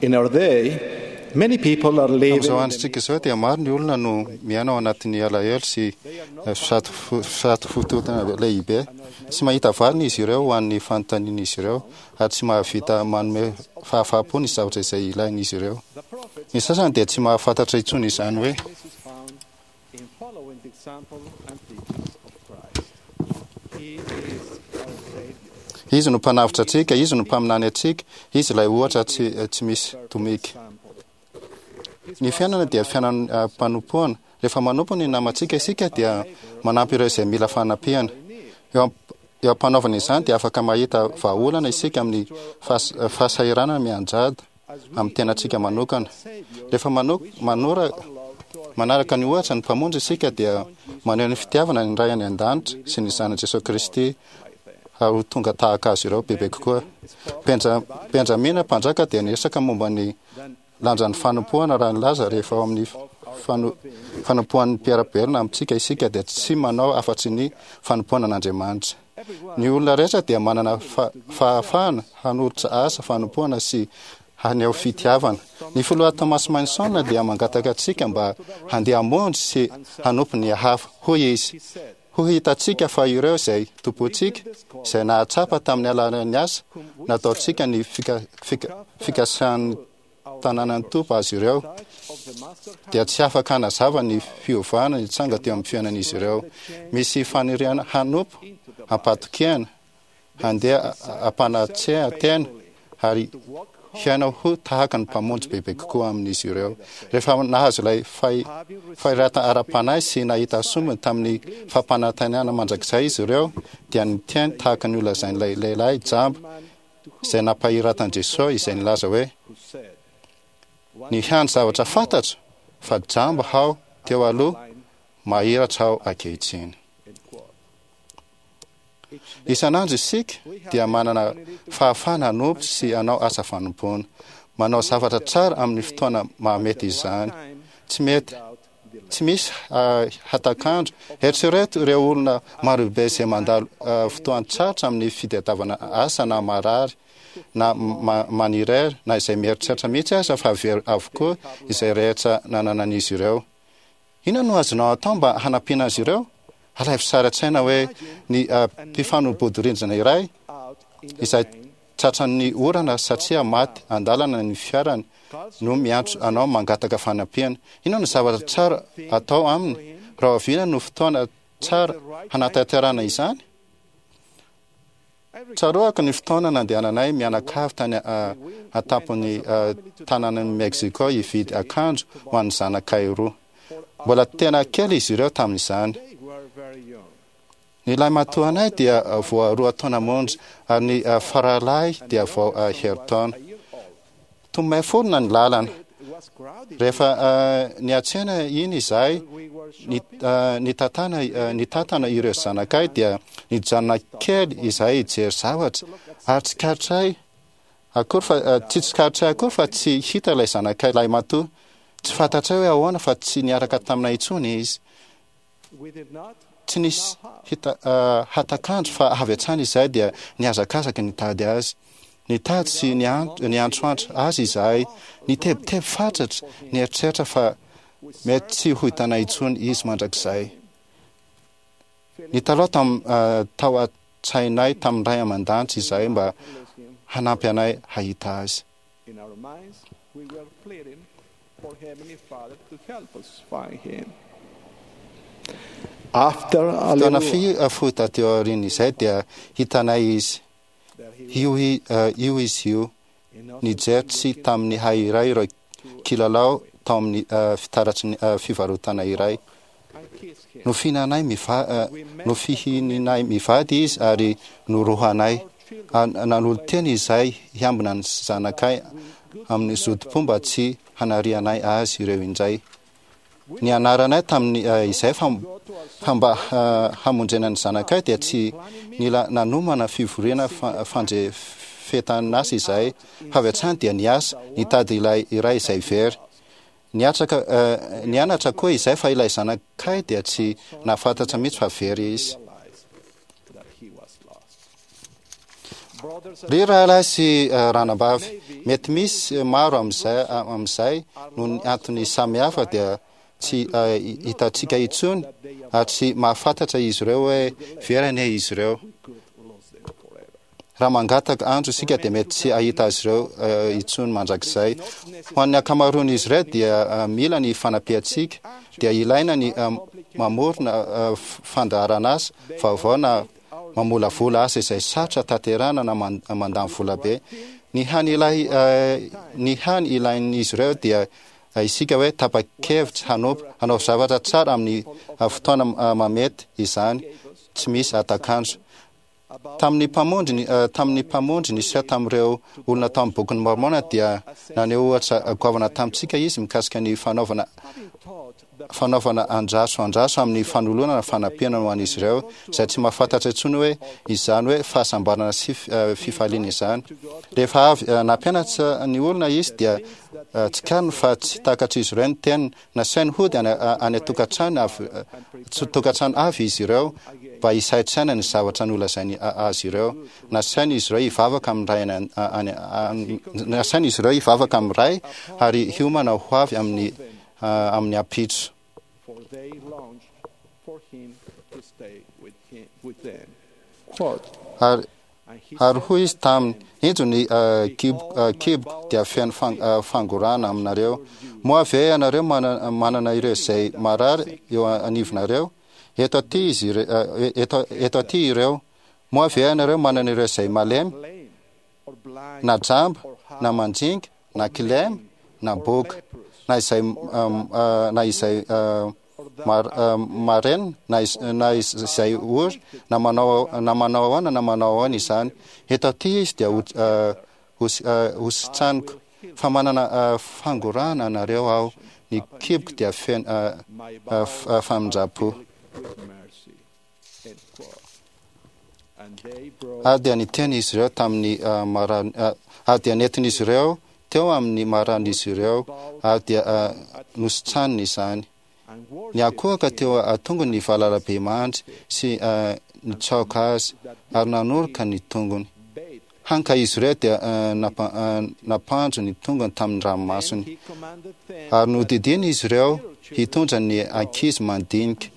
In our day, many people are living Amin'izao androntsika izao dia maro ny olona no miaina ao anatin'ny alahelo sy fisatofotoana lehibe. Tsy mahita valiny izy ireo ho an'ny fanontanian'izy ireo ary tsy mahavita manome fahafaham-po ny zavatra izay ilain'izy ireo. Ny sasany dia tsy mahafantatra intsony izany hoe Izy no Mpanavotra antsika, Izy no Mpaminany antsika, Izy ilay ohatra tsy tsy misy tomika. Ny fiainana dia fiainam-panompoana. Rehefa manompo ny namantsika isika dia manampy ireo izay mila fanampiana. Eo eo am-panaovana izany dia afaka mahita vahaolana isika amin'ny fahasahiranana mianjady amin'ny tenantsika manokana. Rehefa manora manaraka ny ohatra ny Mpamonjy isika dia maneho ny fitiavana ny Ray any An-danitra sy ny Zanany Jesoa Kristy ary ho tonga tahaka Azy ireo bebe kokoa. Benja, Benjamina mpanjaka dia niresaka momba ny lanjan'ny fanompoana raha nilaza rehefa ao amin'ny fano, fanompoan'ny mpiara-belona amintsika isika dia tsy manao afa-tsy ny fanompoana an'Andriamanitra. Ny olona rehetra dia manana fahafahana hanolotra asa fanompoana sy haneho fitiavana. Ny Filoha Thomas Manson dia mangataka antsika mba handeha hamonjy sy hanompo ny hafa. Hoy izy, Ho hitantsika fa ireo izay tompontsika, izay nahatsapa tamin'ny alalan'ny asa nataontsika ny fikasan'ny tanànan'ny Tompo azy ireo, dia tsy afaka hanazava ny fiovana nitranga teo amin'ny fiainan'izy ireo. Misy faniriana hanompo am-pahatokiana, handeha am-panatrehan-tena ary hiaina ho tahaka ny Mpamonjy bebe kokoa amin'izy ireo. Rehefa nahazo ilay fahirata ara-panahy sy nahita sombiny tamin'ny fampanantenana mandrakizay izy ireo, dia niteny tahaka ny holazain'ilay lehilahy jamba izay nampahiratan'i Jesoa izay nilaza hoe, Ny hany zavatra fantatro fa jamba aho teo aloha, mahiratra aho ankehitriny. Isan'andro isika dia manana fahafahana hanompo sy hanao asa fanompoana. Manao zavatra tsara amin'ny fotoana mahamety izany. Tsy mety Tsy misy hatak'andro. Eritrereto ireo olona marobe izay mandalo fotoan-tsarotra amin'ny fitadiavana asa na marary na manirery na izay mieritreritra mihitsy aza fa very avokoa izay rehetra nananan'izy ireo. Inona no azonao atao mba hanampiana azy ireo? Alaivo sary an-tsaina hoe ny mpifanolo-bodirindrina iray izay Tratran'ny orana satria maty an-dalana ny fiarany no miantso anao mangataka fanampiana. Inona no zavatra tsara atao aminy? Rahoviana no fotoana tsara hanatanterahana izany? Tsaroako ny fotoana nandehananay mianakavy tany an-tampon'ny tanànan'i Mexico hividy akanjo ho an'ny zanakay roa. Mbola tena kely izy ireo tamin'izany. Ny lahimatoanay dia vao roa taona monja ary ny faralahy dia vao herintaona. Tomay forona ny lalana. Rehefa niantsena iny izahay nitantana nitantana ireo zanakay dia nijanona kely izahay hijery zavatra ary tsikaritray akory fa tsy tsikaritray akory fa tsy hita ilay zanakay lahimatoa. Tsy fantatray hoe ahoana fa tsy niaraka taminay intsony izy. Tsy nisy hita hatak'andro fa avy hatrany izahay dia nihazakazaka nitady azy. Nitady sy niantsoantso azy izahay, nitebiteby fatratra, nieritreritra fa mety tsy ho hitanay intsony izy mandrakizay. Nitalaho tao an-tsainay tamin'ny Ray aman-danitra izahay mba hanampy anay hahita azy. In our minds, we were pleading for Heavenly Father to help us find him. After a Fotoana little fohy taty aorian'izay dia hitanay izy. Io io izy io, nijery tsy tamin'ny hay iray ireo kilalao tao amin'ny fitaratry ny fivarotana iray. Nofihinanay miva, nofihininay mivady izy ary norohanay. Ary nanolo-tena izahay hiambina ny zanakay amin'ny zotom-po mba tsy hanarianay azy ireo indray. Nianaranay tamin'ny izay fa fa mba hamonjena ny zanakay dia tsy nila nanomana fivoriana fandrefetan'asa izahay fa avy hatrany dia niasa nitady ilay iray izay very. Niatraka, nianatra koa izahay fa ilay zanakay dia tsy nahafantatra mihitsy fa very izy. Ry rahalahy sy ranabavy, Mety misy maro amin'izay amin'izay noho ny antony samihafa dia tsy hitantsika intsony ary tsy mahafantatra izy ireo hoe very anie izy ireo. Raha mangataka andro isika dia mety tsy hahita azy ireo intsony mandrakizay. Ho an'ny ankamaroan'izy ireo dia mila ny fanampiantsika, dia ilaina ny mamorona fandaharan'asa vaovao na mamolavola asa izay sarotra tanterahana na mandany vola be. Ny hany ilay ny hany ilain'izy ireo dia isika hoe tapa-kevitra hanompo, hanao zavatra tsara amin'ny fotoana mamety izany, tsy misy hatak'andro. Tamin'ny Mpamonjy, tamin'ny Mpamonjy niseho tamin'ireo olona tao amin'ny Bokin'i Môrmôna dia naneho ohatra goavana tamintsika Izy mikasika ny fanaovana fanaovana andraso andraso amin'ny fanolorana fanampiana ho an'izy ireo izay tsy mahafantatra intsony hoe izany hoe fahasambarana sy fifaliana izany. Rehefa avy nampianatra ny olona Izy dia tsikariny fa tsy takatr'izy ireo ny teniny. Nasainy hody any any an-tokantrano avy tokantrano avy izy ireo mba hisaintsaina ny zavatra nolazainy azy ireo. Nasainy izy ireo hivavaka amin'ny Ray any any nasainy izy ireo hivavaka amin'ny Ray ary hiomana ho avy amin'ny amin'ny ampitso. Ary Ary hoy izy taminy, Injo ny kiboko dia feno fangorahana aminareo. Moa ve ianareo manana ireo izay marary eo anivonareo? Eto aty izy eto, eto aty ireo. Moa ve ianareo manana ireo izay malemy, na jamba, na manjinga, na kilema, na boka, na izay, na izay marenina na na izay ory na manao na manao ahoana na manao ahoana izany. Eto aty izy dia ho ho sitraniko fa manana fangorahana anareo aho, ny kiboko dia feno famindram-po. Ary dia niteny izy ireo tamin'ny marary, ary dia nentin'izy ireo teo amin'ny mararin'izy ireo, ary dia nositraniny izany. Niankohoka teo an-tongony ny valalabemandry sy nitsaoka azy, ary nanoroka ny tongony. Hany ka izy ireo dia nampandro ny tongony tamin'ny ranomasony. Ary nodidiany izy ireo hitondra ny ankizy mandinika,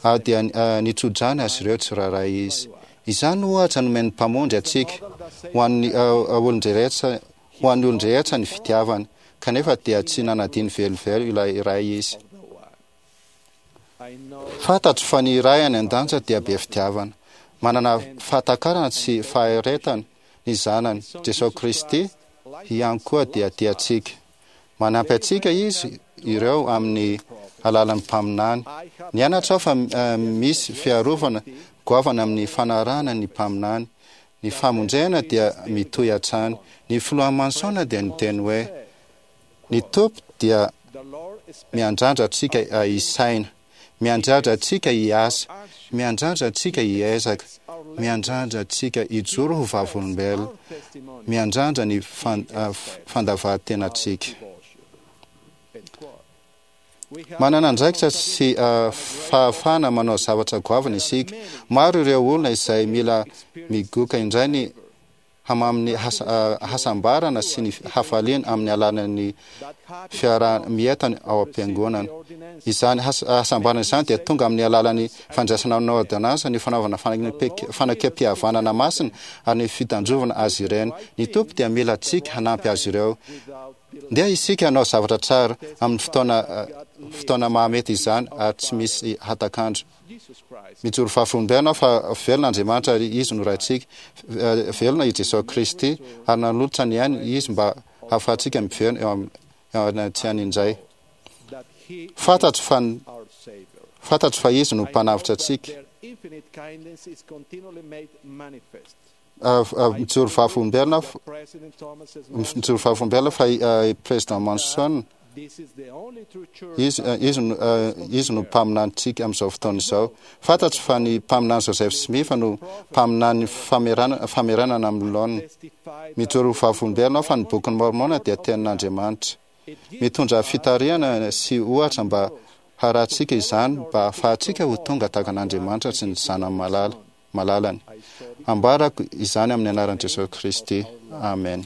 ary dia nitso-drano azy ireo tsirairay izy. Izany no ohatra nomen'ny Mpamonjy antsika, ho an'ny olon-drehetra, ho an'ny olon-drehetra ny fitiavany, kanefa dia tsy nanadino velively ilay Ray izy. Fantatro fa ny Ray any An-danitra dia be fitiavana. Manana fahatakarana sy faharetana ny Zanany, Jesoa Kristy, ihany koa dia tia antsika. Manampy antsika Izy ireo amin'ny alalan'ny mpaminany. Nianatra aho fa misy fiarovana goavana amin'ny fanarahana ny mpaminany. Ny famonjena dia mitohy hatrany. Ny Filoha Monson dia niteny hoe, Ny Tompo dia miandrandra antsika hisaina, miandrandra antsika hiasa, miandrandra antsika hiezaka, miandrandra antsika hijoro ho vavolombelona, miandrandra ny fandavan-tenantsika. Manana andraikitra sy fahafahana manao zavatra goavana isika. Maro ireo olona izay mila migoka indray ny hamamin'ny hasambarana sy ny hafaliana amin'ny alalan'ny fiaraha-mientana ao am-piangonana. Izany hasambarana izany dia tonga amin'ny alalan'ny fandraisana ny ôrdônansa, ny fanaovana fanekempihavanana masina ary ny fitandrovana azy ireny. Ny Tompo dia mila antsika hanampy azy ireo. Ndeha isika hanao zavatra tsara amin'ny fotoana fotoana mahamety izany ary tsy misy hatak'andro. Mijoro vavolombelona aho fa velona Andriamanitra ary Izy no Raintsika. Velona i Jesoa Kristy ary nanolotra ny ainy Izy mba hahafahantsika miverina eo anatrehany indray. Fantatro fa fantatro fa Izy no Mpanavotra antsika. Mijoro vavolombelona aho mijoro vavolombelona fa i Président Monson Izy, izy no, izy no mpaminanintsika amin'izao fotoana izao. Fantatro fa ny mpaminany Joseph Smith no mpaminany famerana, famerenana amin'ny laoniny. Mijoro ho vavolombelona aho fa ny Bokin'i Môrmôna dia tenin'Andriamanitra. Mitondra fitarihana sy ohatra mba harahantsika izany mba hahafahantsika ho tonga tahaka an'Andriamanitra sy ny Zanany malala, malalany. Ambarako izany amin'ny anaran'i Jesosy Kristy. Amena.